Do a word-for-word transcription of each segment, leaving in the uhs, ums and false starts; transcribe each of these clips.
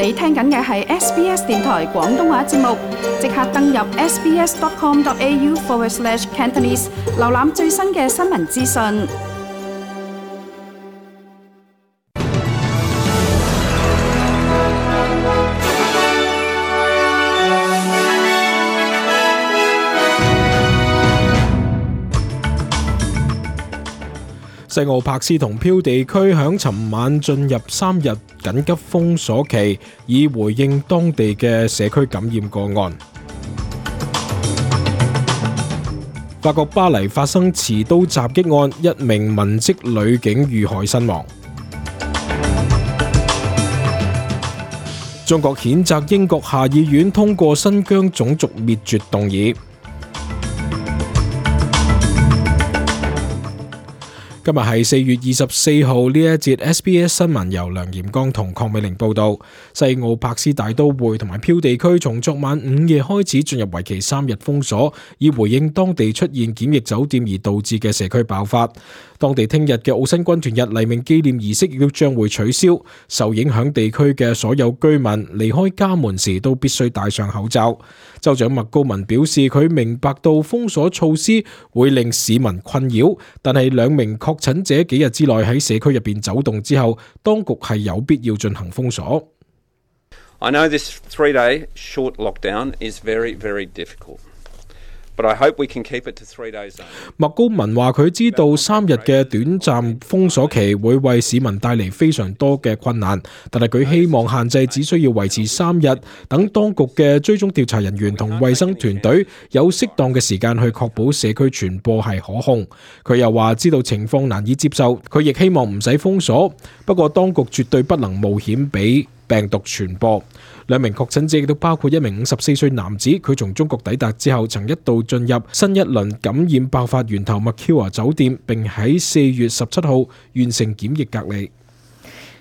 你聽緊嘅係 S B S 電台廣東話節目，即刻登入 sbs.com.au forward slash Cantonese， 瀏覽最新嘅新聞資訊。西澳柏斯同漂地區響尋晚進入三日緊急封鎖期，以回應當地嘅社區感染個案。法國巴黎發生持刀襲擊案，一名文職女警遇害身亡。中國譴責英國下議院通過新疆種族滅絕動議。今日係四月二十四號，呢一節 S B S 新聞由梁炎剛同鄺美玲報道。西澳柏斯大都會同埋漂地區從昨晚午夜開始進入為期三日封鎖，以回應當地出現檢疫酒店而導致嘅社區爆發。當地聽日嘅澳新軍團日黎明紀念儀式亦都將會取消，受影響地區嘅所有居民離開家門時都必須戴上口罩。州長麥高文表示，佢明白到封鎖措施會令市民困擾，但係兩名確診者幾日之內喺社區入邊走動之後，當局係有必要進行封鎖。I know this three-day short lockdown is very, very difficult. But I hope we can keep it to three days. 麥高文話佢知道三日嘅短暫封鎖期會為市民帶嚟非常多嘅困難，但係佢希望限制只需要維持三日，等當局嘅追蹤調查人員同衛生團隊有適當嘅時間去確保社區傳播係可控。佢又話知道情況難以接受，佢亦希望唔使封鎖，不過當局絕對不能冒險俾病毒傳播。兩名確診者亦都包括一名五十四歲男子，佢從中國抵達之後曾一度進入新一輪感染爆發源頭麥喬華酒店，並喺四月十七號完成檢疫隔離。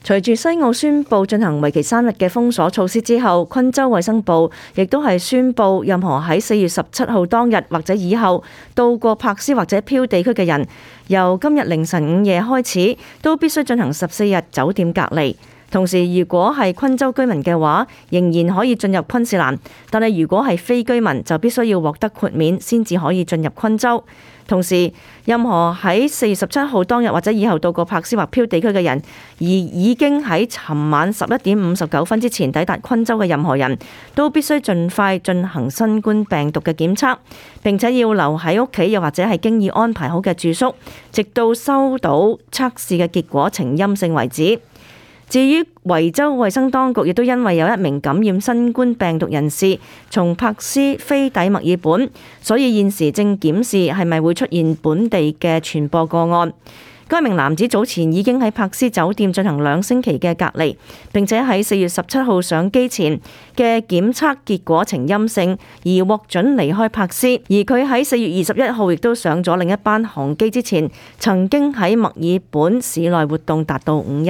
隨住西澳宣布進行為期三日嘅封鎖措施之後，昆州衛生部亦都係宣布任何喺四月十七號當日或者以後到過柏斯或者漂地區嘅人，由今日凌晨午夜開始都必須進行十四日酒店隔離。同時，如果係昆州居民嘅話，仍然可以進入昆士蘭，但係如果係非居民，就必須要獲得豁免先至可以進入昆州。同時，任何喺四月十七號當日或者以後到過柏斯或漂地區嘅人，而已經喺尋晚十一點五十九分之前抵達昆州嘅任何人，都必須盡快進行新冠病毒嘅檢測，並且要留喺屋企，又或者係經已安排好嘅住宿，直到收到測試嘅結果呈陰性為止。至於維州衛生當局亦都因為有一名感染新冠病毒人士從柏斯飛抵墨爾本，所以現時正檢視係咪會出現本地嘅傳播個案。該名男子早前已經喺柏斯酒店進行兩星期嘅隔離，並且喺四月十七號上機前嘅檢測結果呈陰性，而獲准離開柏斯。而佢喺四月二十一號亦都上咗另一班航機之前，曾經喺墨爾本市內活動達到五日。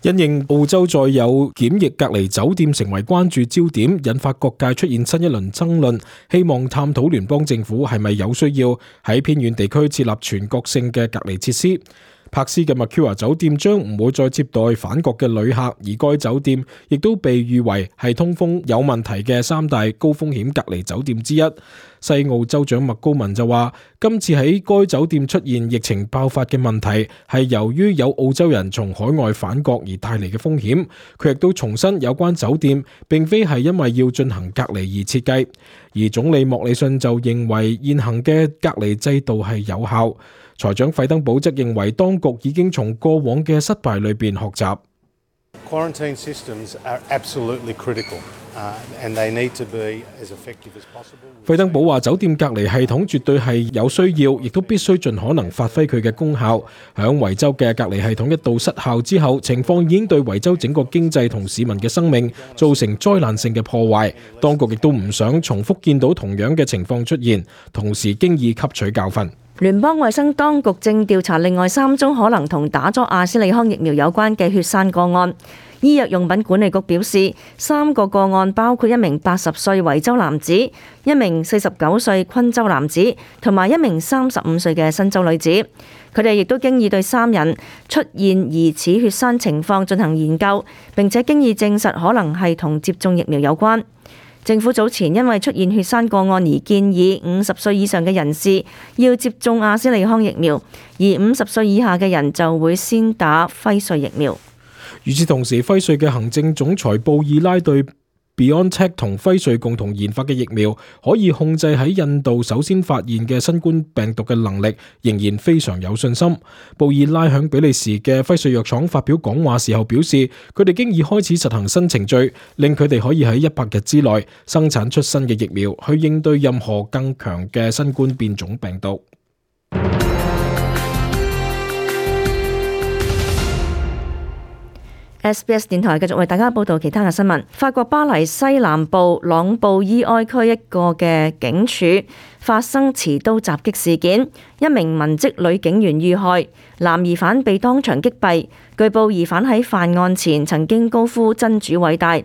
因應澳洲再有檢疫隔離酒店成為關注焦點，引發各界出現新一輪爭論，希望探討聯邦政府係咪有需要喺偏遠地區設立全國性嘅隔離設施。柏斯嘅麥喬華酒店將唔會再接待返國嘅旅客，而該酒店亦都被譽為係通風有問題嘅三大高風險隔離酒店之一。西澳州長麥高文就話，今次喺該酒店出現疫情爆發嘅問題係由於有澳洲人從海外返國而帶嚟嘅風險。佢亦都重申有關酒店並非係因為要進行隔離而設計，而總理莫里遜就認為現行嘅隔離制度係有效。財長費登堡則認為當局已經從過往嘅失敗裏邊學習。Quarantine systems are absolutely critical, uh, and they need to be as effective as possible. 費登堡話：酒店隔離系統絕對係有需要，亦都必須盡可能發揮佢嘅功效。響維州嘅隔離系統一度失效之後，情況已經對維州整個經濟同市民嘅生命造成災難性嘅破壞。當局亦都唔想重複見到同樣嘅情況出現，同時經已吸取教訓。聯邦衛生當局正調查另外三宗可能同打咗阿斯利康疫苗有關嘅血栓個案。醫藥用品管理局表示，三個個案包括一名八十歲維州男子、一名四十九歲昆州男子同埋一名三十五歲嘅新州女子。佢哋亦都經已對三人出現疑似血栓情況進行研究，並且經已證實可能係同接種疫苗有關。政府早前因為出現血栓個案而建議五十歲以上嘅人士要接種阿斯利康疫苗，而五十歲以下嘅人就會先打輝瑞疫苗。與此同時，輝瑞嘅行政總裁布爾拉對BioNTech 同輝瑞共同研發嘅疫苗可以控制喺印度首先發現嘅新冠病毒嘅能力，仍然非常有信心。布爾拉向比利時嘅輝瑞藥廠發表講話時候表示，佢哋經已開始實行新程序，令佢哋可以喺一百日之內生產出新嘅疫苗，去應對任何更強嘅新冠變種病毒。S B S 電台繼續為大家報道其他嘅新聞。法國巴黎西南部朗布伊埃區一個嘅警署發生持刀襲擊事件，一名文職女警員遇害，男疑犯被當場擊斃。據報疑犯喺犯案前曾經高呼真主偉大。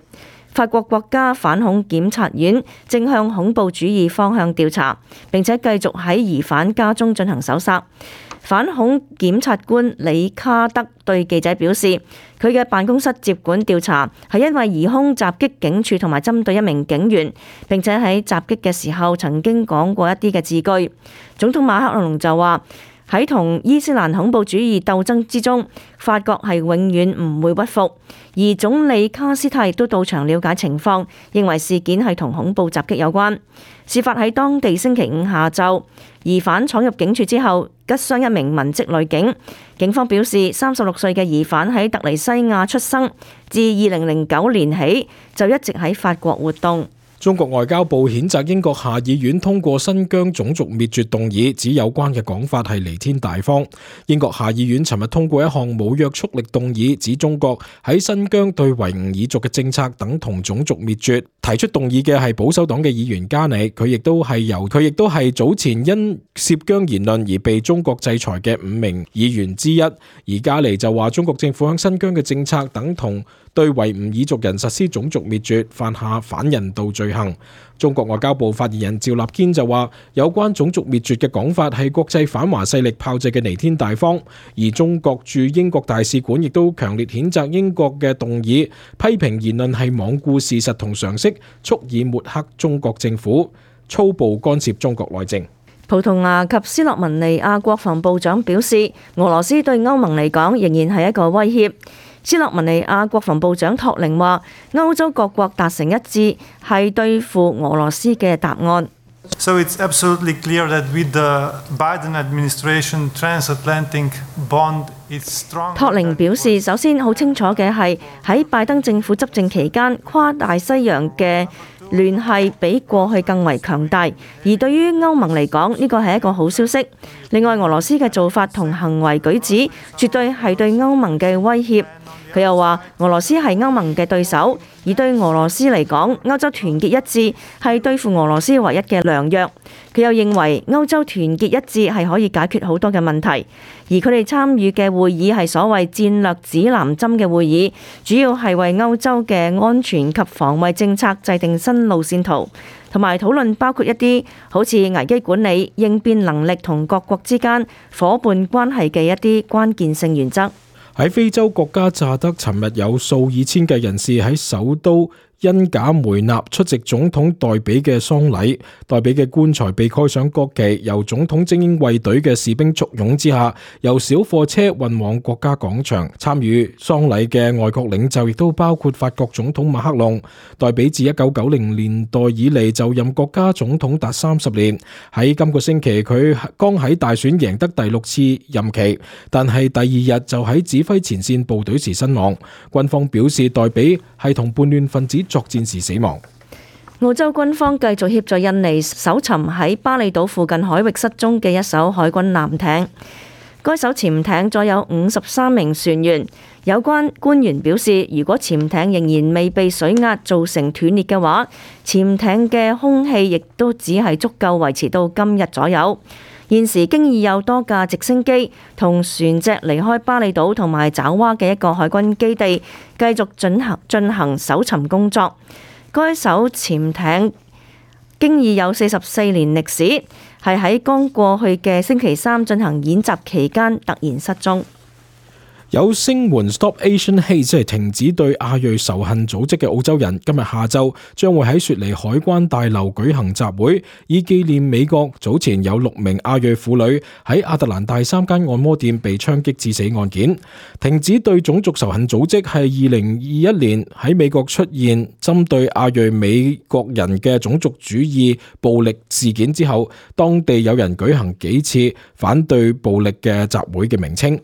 法國國家反恐檢察院正向恐怖主義方向調查，並且繼續喺疑犯家中進行搜查。反恐檢察官李卡德對記者表示，佢嘅辦公室接管調查係因為疑兇襲擊警署同埋針對一名警員，並且喺襲擊嘅時候曾經講過一啲嘅字句。總統馬克龍就話，喺同伊斯蘭恐怖主義鬥爭之中，法國係永遠唔會屈服。而總理卡斯泰亦都到場了解情況，認為事件係同恐怖襲擊有關。事發喺當地星期五下晝，疑犯闖入警署之後，擊傷一名文職女警。警方表示，三十六歲嘅疑犯喺特尼西亞出生，自二零零九年起就一直喺法國活動。中國外交部譴責英國下議院通過新疆種族滅絕動議，指有關嘅講法係彌天大謊。英國下議院尋日通過一項冇約束力動議，指中國喺新疆對維吾爾族嘅政策等同種族滅絕。提出動議嘅係保守黨嘅議員加尼，佢亦都係由佢亦都係早前因涉疆言論而被中國制裁嘅五名議員之一。而加尼就話中國政府喺新疆嘅政策等同對維吾爾族人實施種族滅絕，犯下反人道罪行。中國外交部發言人趙立堅就話，有關種族滅絕嘅講法係國際反華勢力炮製嘅彌天大謊。而中國駐英國大使館亦都強烈譴責英國嘅動議，批評言論係罔顧事實同常識，蓄意抹黑中國政府，粗暴干涉中國內政。葡萄牙及斯洛文尼亞國防部長表示，俄羅斯對歐盟嚟講仍然係一個威脅。斯洛文尼亞國防部長托寧話，歐洲各國達成一致係對付俄羅斯嘅答案。So it's absolutely clear that with the Biden administration, transatlantic bond is strong. 托寧表示，首先好清楚嘅係喺拜登政府執政期間，跨大西洋嘅聯繫比過去更為強大，而對於歐盟嚟講，呢個係一個好消息。另外，俄羅斯嘅做法同行為舉止，絕對係對歐盟嘅威脅。佢又話，俄羅斯係歐盟嘅對手，而對俄羅斯嚟講，歐洲團結一致係對付俄羅斯唯一嘅良藥。佢又認為歐洲團結一致係可以解決好多嘅問題，而佢哋參與嘅會議係所謂戰略指南針嘅會議，主要係為歐洲嘅安全及防衛政策制定新路線圖，同埋討論包括一啲好似危機管理、應變能力同各國之間夥伴關係嘅一啲關鍵性原則。喺非洲國家乍得，尋日有數以千計人士喺首都因賈梅納出席總統代比嘅喪禮，代比嘅棺材被蓋上國旗，由總統精英衛隊嘅士兵簇擁之下，由小貨車運往國家廣場。參與喪禮嘅外國領袖亦都包括法國總統馬克龍。代比自一九九零年代以嚟就任國家總統達三十年，喺今個星期佢剛喺大選贏得第六次任期，但係第二日就喺指揮前線部隊時身亡。軍方表示代比係同叛亂分子作戰時死亡。澳洲軍方繼續協助印尼搜尋喺巴厘島附近海域失蹤嘅一艘海軍艦艇。該艘潛艇載有五十三名船員。有關官員表示，如果潛艇仍然未被水壓造成斷裂嘅話，潛艇嘅空氣亦都只係足夠維持到今日左右。現時經已有多架直升機同船隻離開巴厘島同埋爪哇嘅一個海軍基地，繼續進行進行搜尋工作。該艘潛艇經已有四十四年歷史，係喺剛過去嘅星期三進行演習期間突然失蹤。有聲援 Stop Asian Hate 即係停止對亞裔仇恨組織嘅澳洲人，今日下晝將會喺雪梨海關大樓舉行集會，以紀念美國早前有六名亞裔婦女喺亞特蘭大三間按摩店被槍擊致死案件。停止對種族仇恨組織係二零二一年喺美國出現針對亞裔美國人嘅種族主義暴力事件之後，當地有人舉行幾次反對暴力嘅集會嘅名稱。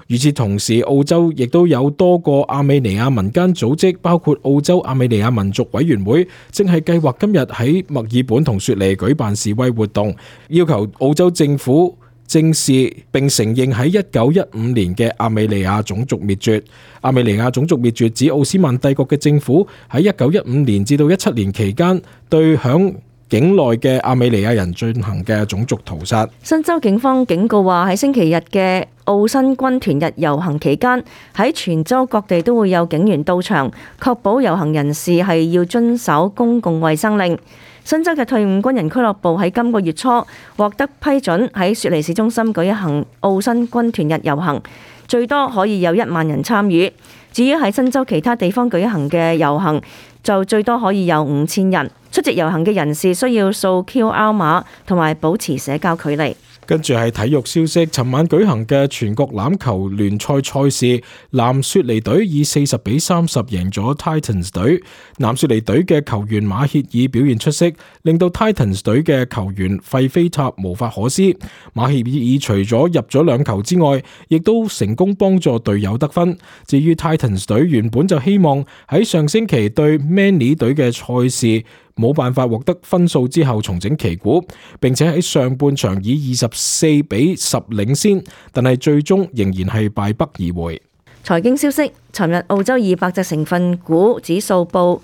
與此同時，澳洲亦都有多個亞美尼亞民間組織，包括澳洲亞美尼亞民族委員會，正係計劃今日喺墨爾本同雪梨舉辦示威活動，要求澳洲政府正視並承認喺一九一五年嘅亞美尼亞種族滅絕。亞美尼亞種族滅絕指奧斯曼帝國嘅政府喺一九一五年至到一七年期間對響境內嘅亞美尼亞人進行嘅種族屠殺。新州警方警告話，喺星期日嘅澳新軍團日遊行期間，喺全州各地都會有警員到場，確保遊行人士係要遵守公共衛生令。新州嘅退伍軍人俱樂部喺今個月初獲得批准喺雪梨市中心舉行澳新軍團日遊行，最多可以有一萬人參與。至於喺新州其他地方舉行嘅遊行，就最多可以有五千人。出席遊行嘅人士需要掃 Q R 碼同埋保持社交距離。跟住係體育消息，尋晚舉行嘅全國欖球聯賽賽事，南雪梨隊以四十比三十贏咗 Titans 隊。南雪梨隊嘅球員馬歇爾表現出色，令到 Titans 隊嘅球員費菲塔無法可施。馬歇爾除咗入咗兩球之外，亦都成功幫助隊友得分。至於 Titans 隊原本就希望喺上星期對 Manly 隊嘅賽事冇辦法獲得分數之後重整旗鼓，並且喺上半場以二十四比十領先，但係最終仍然係敗北而回。財經消息，尋日澳洲二百隻成分股指數報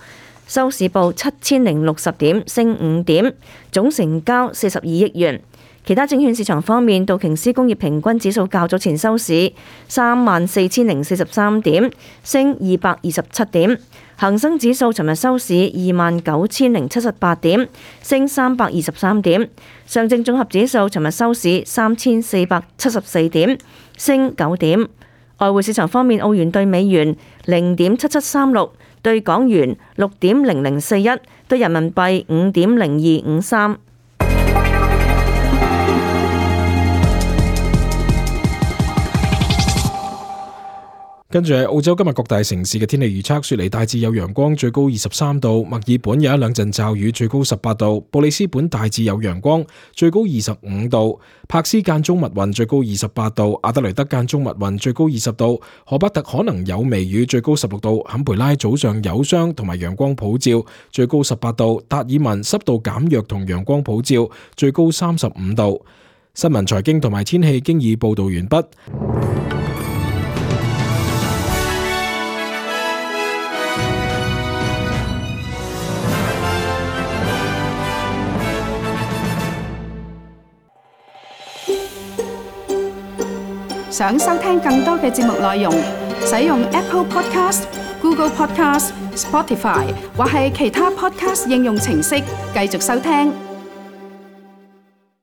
收市報七千零六十點，升五點，總成交四十二億元。其他證券市場方面，道瓊斯工業平均指數較早前收市三萬四千零四十三點，升二百二十七點。恒生指數尋日收市二萬九千零七十八點，升三百二十三點。上證綜合指數尋日收市三千四百七十四點，升九點。外匯市場方面，澳元對美元零點七七三六，對港元六點零零四一，對人民幣五點零二五三。跟住係澳洲今日各大城市嘅天氣預測，雪梨大致有陽光，最高二十三度；墨爾本有一兩陣驟雨，最高十八度；布里斯本大致有陽光，最高二十五度；柏斯間中密雲，最高二十八度；阿德雷德間中密雲，最高二十度；荷巴特可能有微雨，最高十六度；坎培拉早上有霜同埋陽光普照，最高十八度；達爾文濕度減弱同陽光普照，最高三十五度。新聞財經同埋天氣經已報道完畢。想收聽更多嘅節目內容，使用 Apple Podcast、Google Podcast、Spotify 或係其他 Podcast 應用程式繼續收聽。